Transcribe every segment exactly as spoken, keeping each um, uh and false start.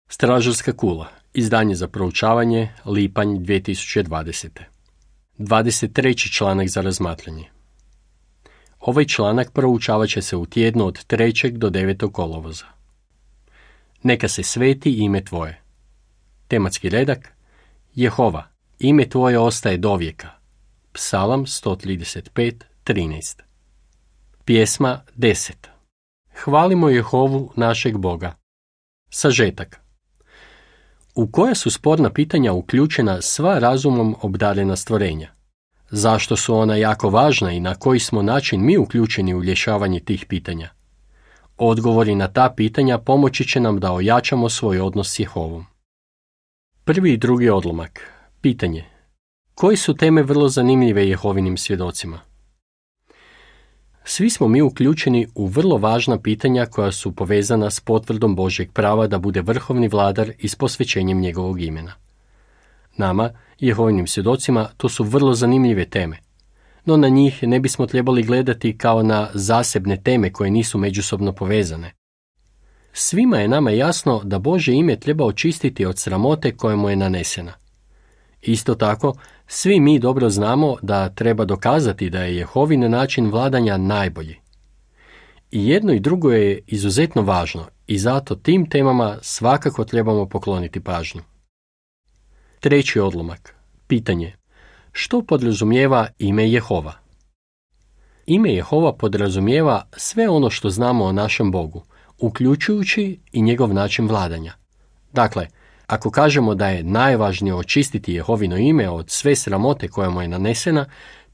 Stražarska kula. Izdanje za proučavanje, lipanj dvije tisuće dvadesete. dvadeset treći članak za razmatranje. Ovaj članak proučavat će se u tjednu od trećeg do devetog kolovoza. Neka se sveti ime tvoje. Tematski redak: Jehova, ime tvoje ostaje dovijeka. Psalam sto trideset pet, trinaest. Pjesma deset. Hvalimo Jehovu našeg Boga. Sažetak. U koja su sporna pitanja uključena sva razumom obdarena stvorenja? Zašto su ona jako važna i na koji smo način mi uključeni u rješavanje tih pitanja? Odgovori na ta pitanja pomoći će nam da ojačamo svoj odnos s Jehovom. Prvi i drugi odlomak. Pitanje: koje su teme vrlo zanimljive Jehovinim svjedocima? Svi smo mi uključeni u vrlo važna pitanja koja su povezana s potvrdom Božjeg prava da bude vrhovni vladar i s posvećenjem njegovog imena. Nama, Jehovinim svjedocima, to su vrlo zanimljive teme, no na njih ne bismo trebali gledati kao na zasebne teme koje nisu međusobno povezane. Svima je nama jasno da Božje ime treba očistiti od sramote koja mu je nanesena. Isto tako, svi mi dobro znamo da treba dokazati da je Jehovin način vladanja najbolji. I jedno i drugo je izuzetno važno i zato tim temama svakako trebamo pokloniti pažnju. Treći odlomak. Pitanje: što podrazumijeva ime Jehova? Ime Jehova podrazumijeva sve ono što znamo o našem Bogu, uključujući i njegov način vladanja. Dakle, ako kažemo da je najvažnije očistiti Jehovino ime od sve sramote koja mu je nanesena,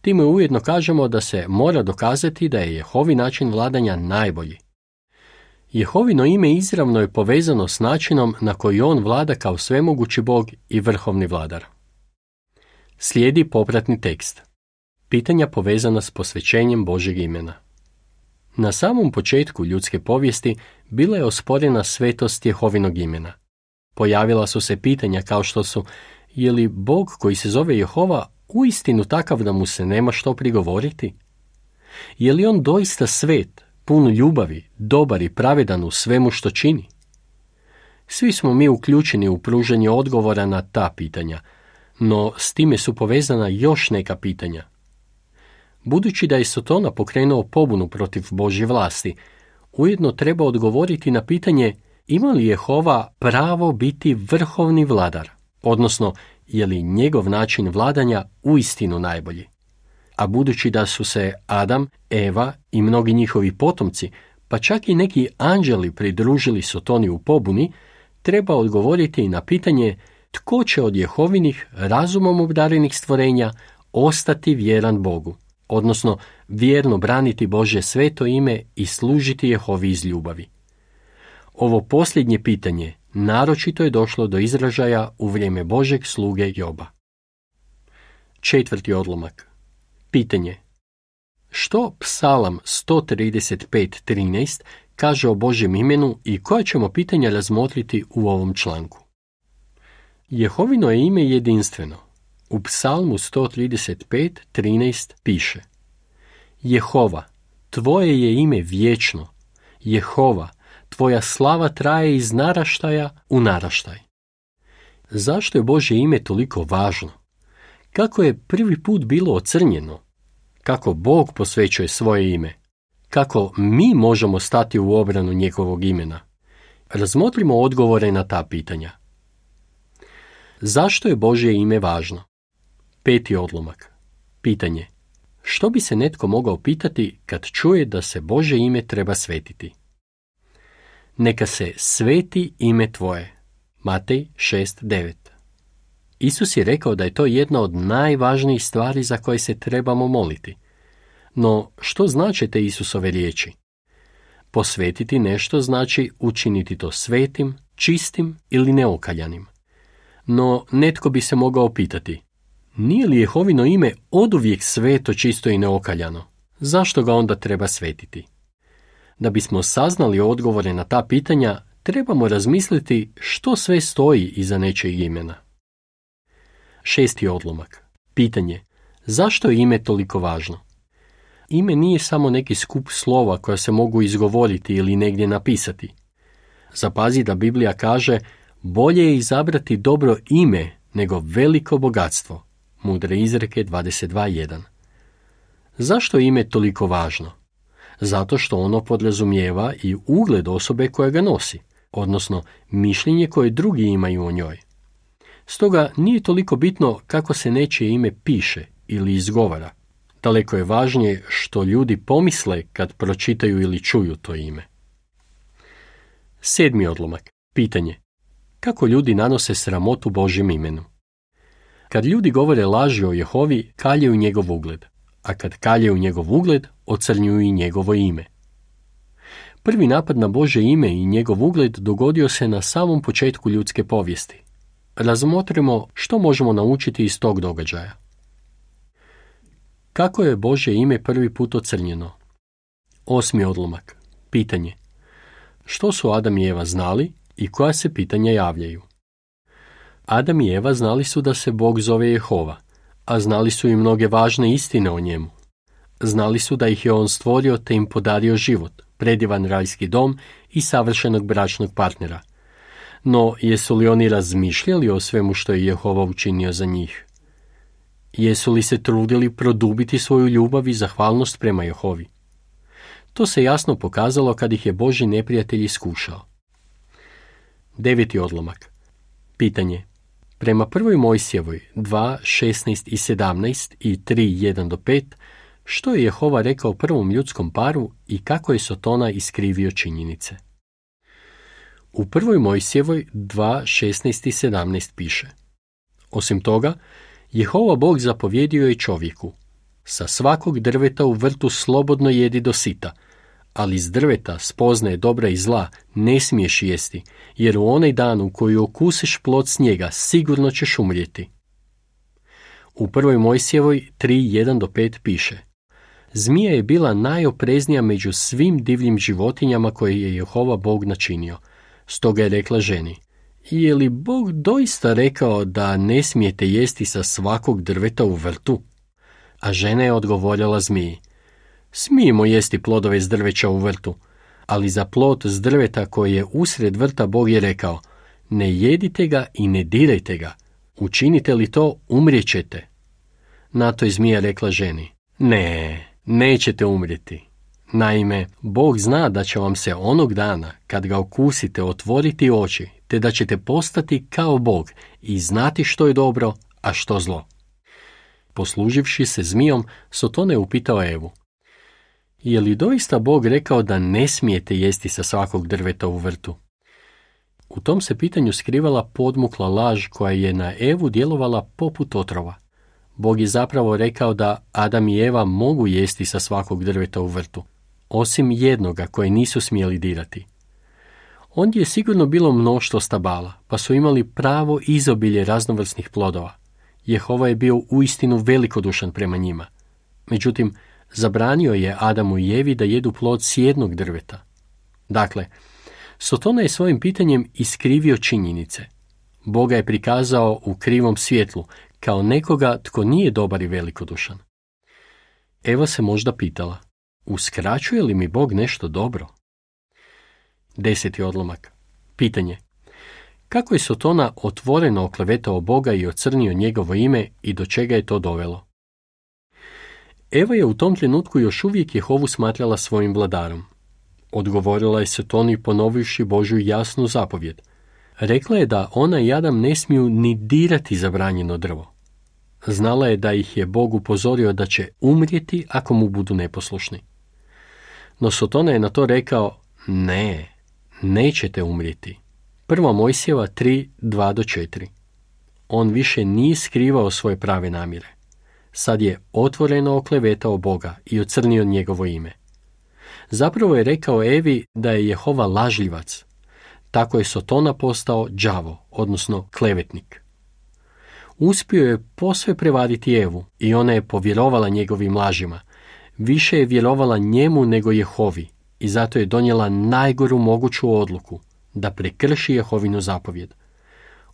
time ujedno kažemo da se mora dokazati da je Jehovi način vladanja najbolji. Jehovino ime izravno je povezano s načinom na koji on vlada kao svemogući Bog i vrhovni vladar. Slijedi popratni tekst. Pitanja povezana s posvećenjem Božjeg imena. Na samom početku ljudske povijesti bila je osporena svetost Jehovinog imena. Pojavila su se pitanja kao što su: je li Bog koji se zove Jehova uistinu takav da mu se nema što prigovoriti? Je li on doista svet, pun ljubavi, dobar i pravedan u svemu što čini? Svi smo mi uključeni u pružanje odgovora na ta pitanja, no s time su povezana još neka pitanja. Budući da je Sotona pokrenuo pobunu protiv Božje vlasti, ujedno treba odgovoriti na pitanje: ima li Jehova pravo biti vrhovni vladar, odnosno je li njegov način vladanja uistinu najbolji? A budući da su se Adam, Eva i mnogi njihovi potomci, pa čak i neki anđeli pridružili Sotoni u pobuni, treba odgovoriti i na pitanje tko će od Jehovinih razumom obdarenih stvorenja ostati vjeran Bogu, odnosno vjerno braniti Božje sveto ime i služiti Jehovi iz ljubavi. Ovo posljednje pitanje naročito je došlo do izražaja u vrijeme Božeg sluge Joba. Četvrti odlomak. Pitanje: što Psalam sto trideset pet, trinaest kaže o Božjem imenu i koja ćemo pitanja razmotriti u ovom članku? Jehovino je ime jedinstveno. U Psalmu sto trideset pet, trinaest piše: Jehova, tvoje je ime vječno. Jehova, tvoja slava traje iz naraštaja u naraštaj. Zašto je Božje ime toliko važno? Kako je prvi put bilo ocrnjeno? Kako Bog posvećuje svoje ime? Kako mi možemo stati u obranu njegovog imena? Razmotrimo odgovore na ta pitanja. Zašto je Božje ime važno? Peti odlomak. Pitanje: što bi se netko mogao pitati kad čuje da se Božje ime treba svetiti? Neka se sveti ime tvoje. Matej šest, devet. Isus je rekao da je to jedna od najvažnijih stvari za koje se trebamo moliti. No, što znače te Isusove riječi? Posvetiti nešto znači učiniti to svetim, čistim ili neokaljanim. No, netko bi se mogao pitati: nije li Jehovino ime oduvijek sveto, čisto i neokaljano? Zašto ga onda treba svetiti? Da bismo saznali odgovore na ta pitanja, trebamo razmisliti što sve stoji iza nečijeg imena. Šesti odlomak. Pitanje: zašto je ime toliko važno? Ime nije samo neki skup slova koja se mogu izgovoriti ili negdje napisati. Zapazi da Biblija kaže: Bolje je izabrati dobro ime nego veliko bogatstvo. Mudre izreke dvadeset dva jedan. Zašto je ime toliko važno? Zato što ono podrazumijeva i ugled osobe koja ga nosi, odnosno mišljenje koje drugi imaju o njoj. Stoga nije toliko bitno kako se nečije ime piše ili izgovara. Daleko je važnije što ljudi pomisle kad pročitaju ili čuju to ime. Sedmi odlomak. Pitanje. Kako ljudi nanose sramotu Božjem imenu? Kad ljudi govore laži o Jehovi, kaljaju njegov ugled, a kad kaljaju njegov ugled, ocrnjuju i njegovo ime. Prvi napad na Božje ime i njegov ugled dogodio se na samom početku ljudske povijesti. Razmotrimo što možemo naučiti iz tog događaja. Kako je Božje ime prvi put ocrnjeno? Osmi odlomak. Pitanje. Što su Adam i Eva znali i koja se pitanja javljaju? Adam i Eva znali su da se Bog zove Jehova, a znali su i mnoge važne istine o njemu. Znali su da ih je on stvorio te im podario život, predivan rajski dom i savršenog bračnog partnera. No, jesu li oni razmišljali o svemu što je Jehova učinio za njih? Jesu li se trudili produbiti svoju ljubav i zahvalnost prema Jehovi? To se jasno pokazalo kad ih je Božji neprijatelj iskušao. Deveti odlomak. Pitanje. Prema prvoj Mojsijevoj dva, šesnaest i sedamnaest i tri, jedan do pet, što je Jehova rekao prvom ljudskom paru i kako je Sotona iskrivio činjenice? U prvoj Mojsijevoj dva, šesnaest i sedamnaest piše. Osim toga, Jehova Bog zapovjedio je čovjeku: sa svakog drveta u vrtu slobodno jedi do sita, ali iz drveta spoznaje dobra i zla ne smiješ jesti, jer u onaj dan u koji okusiš plod s njega sigurno ćeš umrijeti. U prvoj Mojsijevoj tri, jedan do pet piše: zmija je bila najopreznija među svim divljim životinjama koje je Jehova Bog načinio. Stoga je rekla ženi: je li Bog doista rekao da ne smijete jesti sa svakog drveta u vrtu? A žena je odgovorila zmiji: smijemo jesti plodove s drveća u vrtu, ali za plod s drveta koji je usred vrta Bog je rekao: ne jedite ga i ne dirajte ga, učinite li to umrijećete. Na to je zmija rekla ženi: ne, nećete umrijeti. Naime, Bog zna da će vam se onog dana, kad ga okusite, otvoriti oči, te da ćete postati kao Bog i znati što je dobro, a što zlo. Posluživši se zmijom, Sotona je upitao Evu: je li doista Bog rekao da ne smijete jesti sa svakog drveta u vrtu? U tom se pitanju skrivala podmukla laž koja je na Evu djelovala poput otrova. Bog je zapravo rekao da Adam i Eva mogu jesti sa svakog drveta u vrtu, osim jednoga koje nisu smjeli dirati. Ondje je sigurno bilo mnoštvo stabala, pa su imali pravo izobilje raznovrsnih plodova. Jehova je bio uistinu velikodušan prema njima. Međutim, zabranio je Adamu i Evi da jedu plod s jednog drveta. Dakle, Sotona je svojim pitanjem iskrivio činjenice. Boga je prikazao u krivom svjetlu, kao nekoga tko nije dobar i velikodušan. Eva se možda pitala: uskraćuje li mi Bog nešto dobro? Deseti odlomak. Pitanje. Kako je Sotona otvoreno oklevetao Boga i ocrnio njegovo ime i do čega je to dovelo? Eva je u tom trenutku još uvijek Jehovu smatrala svojim vladarom. Odgovorila je Sotoni ponovivši Božju jasnu zapovjed. Rekla je da ona i Adam ne smiju ni dirati zabranjeno drvo. Znala je da ih je Bog upozorio da će umrijeti ako mu budu neposlušni. No Sotona je na to rekao: ne, nećete umrijeti. Prva Mojsijeva tri, dva do četiri. On više nije skrivao svoje prave namjere. Sad je otvoreno oklevetao Boga i ocrnio njegovo ime. Zapravo je rekao Evi da je Jehova lažljivac. Tako je Sotona postao đavo, odnosno klevetnik. Uspio je posve prevariti Evu i ona je povjerovala njegovim lažima. Više je vjerovala njemu nego Jehovi i zato je donijela najgoru moguću odluku, da prekrši Jehovinu zapovjed.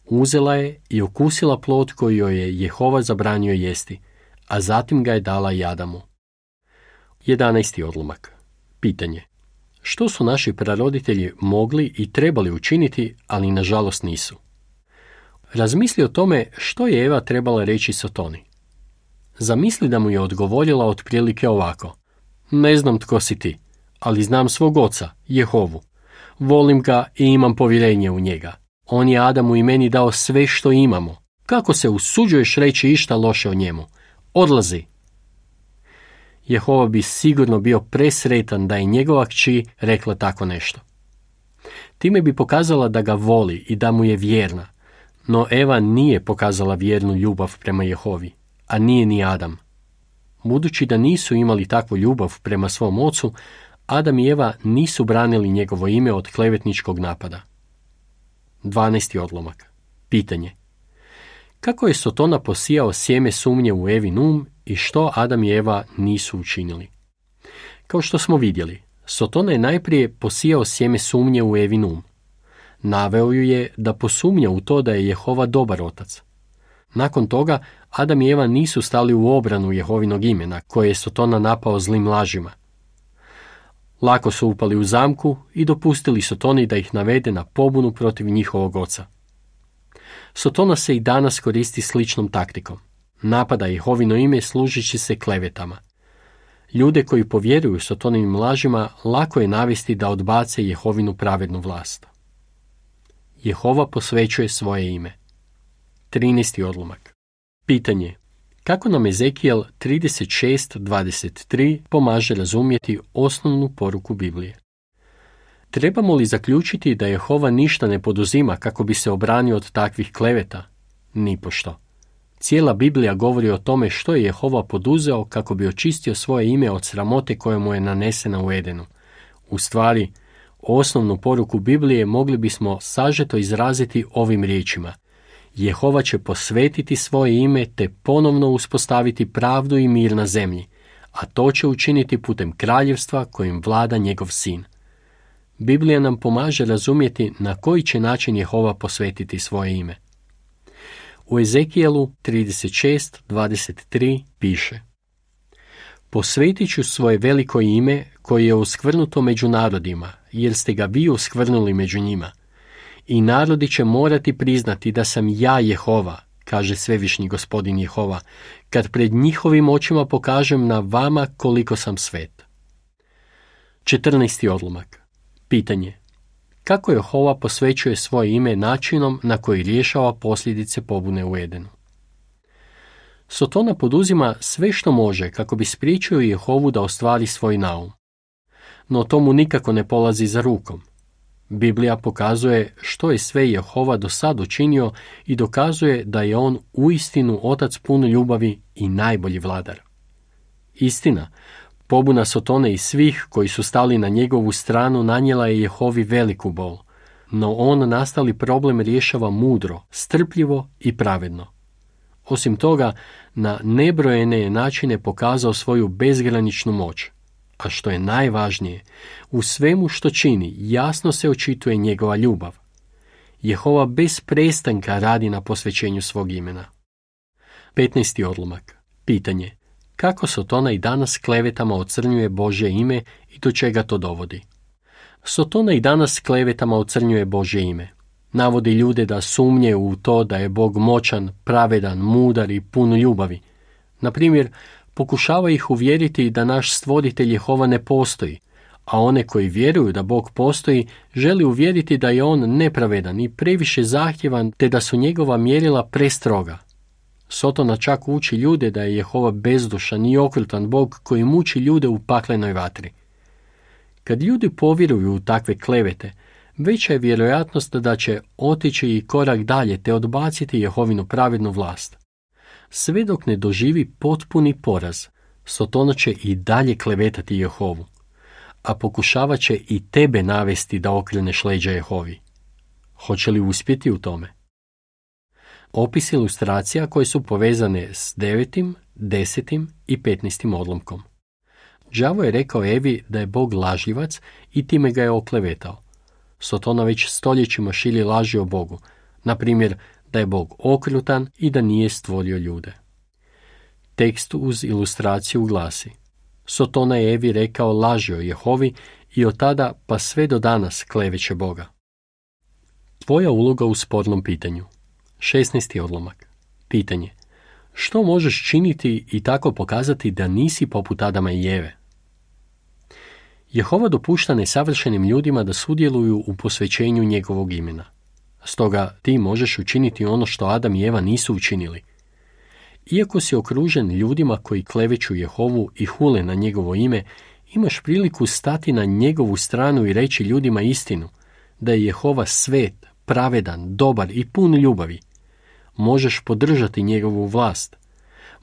Uzela je i okusila plod koji joj je Jehova zabranio jesti, a zatim ga je dala i Adamu. Jedanaesti odlomak. Pitanje. Što su naši praroditelji mogli i trebali učiniti, ali nažalost nisu? Razmisli o tome što je Eva trebala reći Sotoni. Zamisli da mu je odgovorila otprilike ovako: ne znam tko si ti, ali znam svog oca, Jehovu. Volim ga i imam povjerenje u njega. On je Adamu i meni dao sve što imamo. Kako se usuđuješ reći išta loše o njemu? Odlazi! Jehova bi sigurno bio presretan da je njegova kći rekla tako nešto. Time bi pokazala da ga voli i da mu je vjerna, no Eva nije pokazala vjernu ljubav prema Jehovi, a nije ni Adam. Budući da nisu imali takvu ljubav prema svom ocu, Adam i Eva nisu branili njegovo ime od klevetničkog napada. dvanaesti odlomak. Pitanje. Kako je Sotona posijao sjeme sumnje u Evin um i što Adam i Eva nisu učinili? Kao što smo vidjeli, Sotona je najprije posijao sjeme sumnje u Evin um. Naveo ju je da posumnja u to da je Jehova dobar otac. Nakon toga, Adam i Eva nisu stali u obranu Jehovinog imena, koje je Sotona napao zlim lažima. Lako su upali u zamku i dopustili Sotoni da ih navede na pobunu protiv njihovog oca. Sotona se i danas koristi sličnom taktikom. Napada Jehovino ime služeći se klevetama. Ljude koji povjeruju Sotonovim lažima lako je navesti da odbace Jehovinu pravednu vlast. Jehova posvećuje svoje ime. trinaesti odlomak. Pitanje. Kako nam Ezekijel trideset šest dvadeset tri pomaže razumjeti osnovnu poruku Biblije? Trebamo li zaključiti da Jehova ništa ne poduzima kako bi se obranio od takvih kleveta? Nipošto. Cijela Biblija govori o tome što je Jehova poduzeo kako bi očistio svoje ime od sramote koja mu je nanesena u Edenu. U stvari, osnovnu poruku Biblije mogli bismo sažeto izraziti ovim riječima: Jehova će posvetiti svoje ime te ponovno uspostaviti pravdu i mir na zemlji, a to će učiniti putem kraljevstva kojim vlada njegov sin. Biblija nam pomaže razumjeti na koji će način Jehova posvetiti svoje ime. U Ezekijelu trideset šest dvadeset tri piše: Posvetit ću svoje veliko ime koje je uskvrnuto među narodima, jer ste ga vi uskvrnuli među njima. I narodi će morati priznati da sam ja Jehova, kaže svevišnji gospodin Jehova, kad pred njihovim očima pokažem na vama koliko sam svet. četrnaesti odlomak. Pitanje. Kako Jehova posvećuje svoje ime načinom na koji rješava posljedice pobune u Edenu? Sotona poduzima sve što može kako bi spriječio Jehovu da ostvari svoj naum. No tomu nikako ne polazi za rukom. Biblija pokazuje što je sve Jehova do sad učinio i dokazuje da je on uistinu otac pun ljubavi i najbolji vladar. Istina, pobuna Sotone i svih koji su stali na njegovu stranu nanijela je Jehovi veliku bol, no on nastali problem rješava mudro, strpljivo i pravedno. Osim toga, na nebrojene je načine pokazao svoju bezgraničnu moć. A što je najvažnije, u svemu što čini jasno se očituje njegova ljubav. Jehova bez prestanka radi na posvećenju svog imena. petnaesti odlomak. Pitanje. Kako Sotona i danas klevetama ocrnjuje Božje ime i do čega to dovodi? Sotona i danas klevetama ocrnjuje Božje ime. Navodi ljude da sumnje u to da je Bog moćan, pravedan, mudar i pun ljubavi. Na primjer, pokušava ih uvjeriti da naš stvoritelj Jehova ne postoji, a one koji vjeruju da Bog postoji želi uvjeriti da je on nepravedan i previše zahtjevan te da su njegova mjerila prestroga. Sotona čak uči ljude da je Jehova bezdušan i okrutan Bog koji muči ljude u paklenoj vatri. Kad ljudi povjeruju u takve klevete, veća je vjerojatnost da će otići i korak dalje te odbaciti Jehovinu pravednu vlast. Sve dok ne doživi potpuni poraz, Sotona će i dalje klevetati Jehovu, a pokušavat će i tebe navesti da okreneš leđa Jehovi. Hoće li uspjeti u tome? Opis ilustracija koje su povezane s devetim, desetim i petnaestim odlomkom. Đavo je rekao Evi da je Bog lažljivac i time ga je oklevetao. Sotona već stoljećima širi laži o Bogu, na primjer da je Bog okrutan i da nije stvorio ljude. Tekst uz ilustraciju glasi: Sotona je Evi rekao laži o Jehovi i od tada pa sve do danas kleveće Boga. Tvoja uloga u spornom pitanju. šesnaesti odlomak. Pitanje. Što možeš činiti i tako pokazati da nisi poput Adama i Eve? Jehova dopušta nesavršenim ljudima da sudjeluju u posvećenju njegovog imena. Stoga ti možeš učiniti ono što Adam i Eva nisu učinili. Iako si okružen ljudima koji kleveću Jehovu i hule na njegovo ime, imaš priliku stati na njegovu stranu i reći ljudima istinu, da je Jehova svet, pravedan, dobar i pun ljubavi. Možeš podržati njegovu vlast.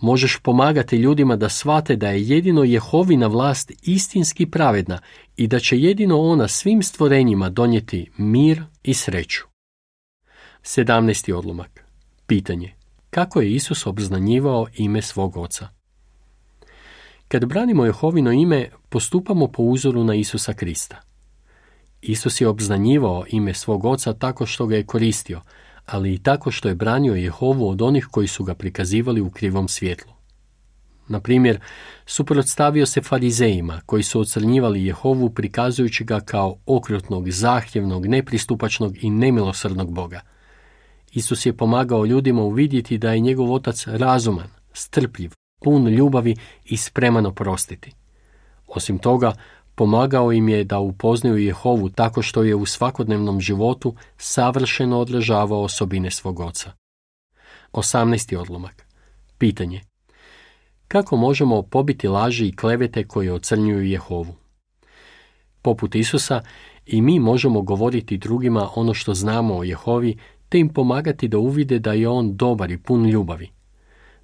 Možeš pomagati ljudima da shvate da je jedino Jehovina vlast istinski pravedna i da će jedino ona svim stvorenjima donijeti mir i sreću. sedamnaesti odlomak. Pitanje. Kako je Isus obznanjivao ime svog Oca? Kad branimo Jehovino ime, postupamo po uzoru na Isusa Krista. Isus je obznanjivao ime svog Oca tako što ga je koristio, ali i tako što je branio Jehovu od onih koji su ga prikazivali u krivom svjetlu. Na primjer, suprotstavio se farizejima koji su ocrnjivali Jehovu prikazujući ga kao okrutnog, zahtjevnog, nepristupačnog i nemilosrdnog Boga. Isus je pomagao ljudima uvidjeti da je njegov Otac razuman, strpljiv, pun ljubavi i spreman oprostiti. Osim toga, pomagao im je da upoznaju Jehovu tako što je u svakodnevnom životu savršeno odražavao osobine svog Oca. osamnaesti odlomak. Pitanje. Kako možemo pobiti laži i klevete koje ocrnjuju Jehovu? Poput Isusa, i mi možemo govoriti drugima ono što znamo o Jehovi, te im pomagati da uvide da je on dobar i pun ljubavi.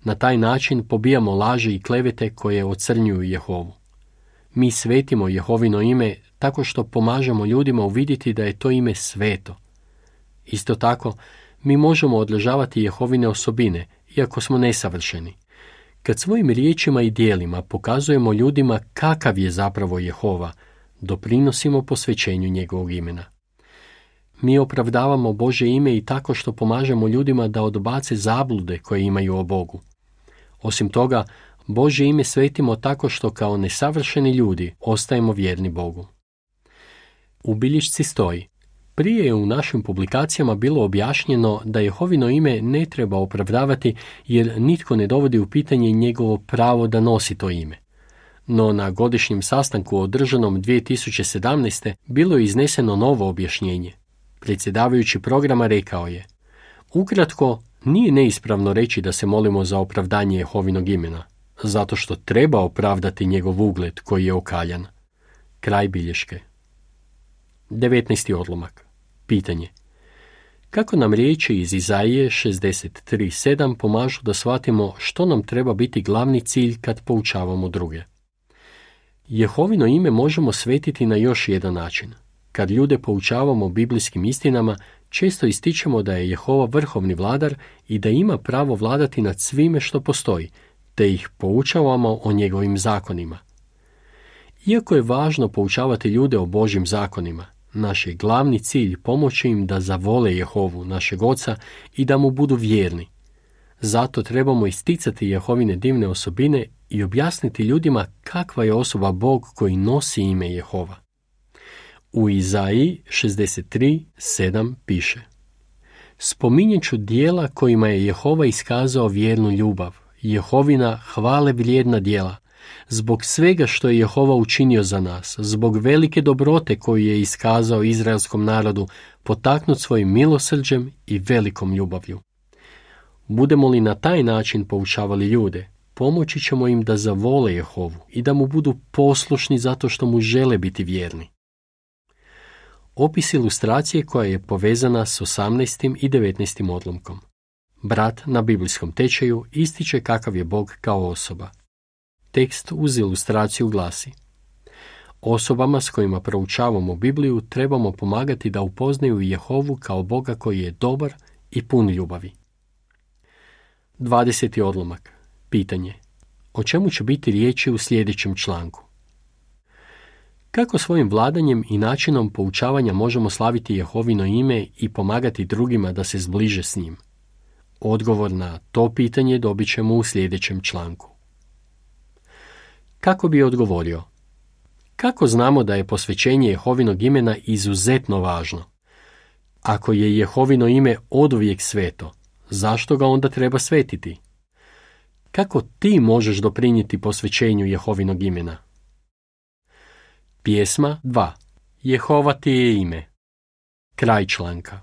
Na taj način pobijamo laži i klevete koje ocrnjuju Jehovu. Mi svetimo Jehovino ime tako što pomažemo ljudima uvidjeti da je to ime sveto. Isto tako, mi možemo održavati Jehovine osobine, iako smo nesavršeni. Kad svojim riječima i djelima pokazujemo ljudima kakav je zapravo Jehova, doprinosimo posvećenju njegovog imena. Mi opravdavamo Božje ime i tako što pomažemo ljudima da odbace zablude koje imaju o Bogu. Osim toga, Božje ime svetimo tako što kao nesavršeni ljudi ostajemo vjerni Bogu. U bilješci stoji: prije je u našim publikacijama bilo objašnjeno da Jehovino ime ne treba opravdavati jer nitko ne dovodi u pitanje njegovo pravo da nosi to ime. No na godišnjem sastanku održanom dvije tisuće sedamnaeste. bilo je izneseno novo objašnjenje. Predsjedavajući programa rekao je: ukratko, nije neispravno reći da se molimo za opravdanje Jehovinog imena, zato što treba opravdati njegov ugled koji je okaljan. Kraj bilješke. devetnaesti odlomak. Pitanje. Kako nam riječi iz Izaije šezdeset tri sedam pomažu da shvatimo što nam treba biti glavni cilj kad poučavamo druge? Jehovino ime možemo svetiti na još jedan način. Kad ljude poučavamo biblijskim istinama, često ističemo da je Jehova vrhovni vladar i da ima pravo vladati nad svime što postoji, te ih poučavamo o njegovim zakonima. Iako je važno poučavati ljude o Božjim zakonima, naš je glavni cilj pomoći im da zavole Jehovu, našeg Oca, i da mu budu vjerni. Zato trebamo isticati Jehovine divne osobine i objasniti ljudima kakva je osoba Bog koji nosi ime Jehova. U Izaiji šezdeset tri sedam piše: spominjet ću dijela kojima je Jehova iskazao vjernu ljubav, Jehovina hvale vrijedna djela, zbog svega što je Jehova učinio za nas, zbog velike dobrote koju je iskazao izraelskom narodu, potaknut svojim milosrđem i velikom ljubavlju. Budemo li na taj način poučavali ljude, pomoći ćemo im da zavole Jehovu i da mu budu poslušni zato što mu žele biti vjerni. Opis ilustracije koja je povezana s osamnaestim i devetnaestim odlomkom. Brat na biblijskom tečaju ističe kakav je Bog kao osoba. Tekst uz ilustraciju glasi: osobama s kojima proučavamo Bibliju trebamo pomagati da upoznaju Jehovu kao Boga koji je dobar i pun ljubavi. dvadeseti odlomak. Pitanje. O čemu će biti riječi u sljedećem članku? Kako svojim vladanjem i načinom poučavanja možemo slaviti Jehovino ime i pomagati drugima da se zbliže s njim? Odgovor na to pitanje dobit ćemo u sljedećem članku. Kako bi odgovorio? Kako znamo da je posvećenje Jehovinog imena izuzetno važno? Ako je Jehovino ime oduvijek sveto, zašto ga onda treba svetiti? Kako ti možeš doprinijeti posvećenju Jehovinog imena? Pjesma dva. Jehova ti je ime. Kraj članka.